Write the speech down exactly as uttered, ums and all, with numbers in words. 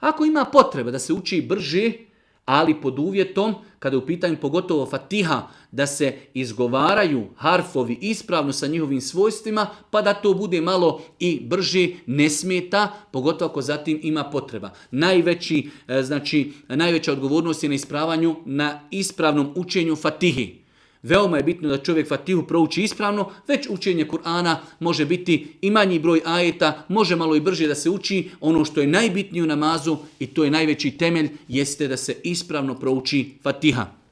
Ako ima potreba da se uči brže, ali pod uvjetom, kada je u pitanju pogotovo Fatiha, da se izgovaraju harfovi ispravno sa njihovim svojstvima, pa da to bude malo i brže, ne smeta, pogotovo ako zatim ima potreba. Najveći, znači, najveća odgovornost je na ispravanju, na ispravnom učenju Fatihi. Veoma je bitno da čovjek Fatihu prouči ispravno, već učenje Kur'ana može biti i manji broj ajeta, može malo i brže da se uči. Ono što je najbitnije u namazu i to je najveći temelj, jeste da se ispravno prouči Fatiha.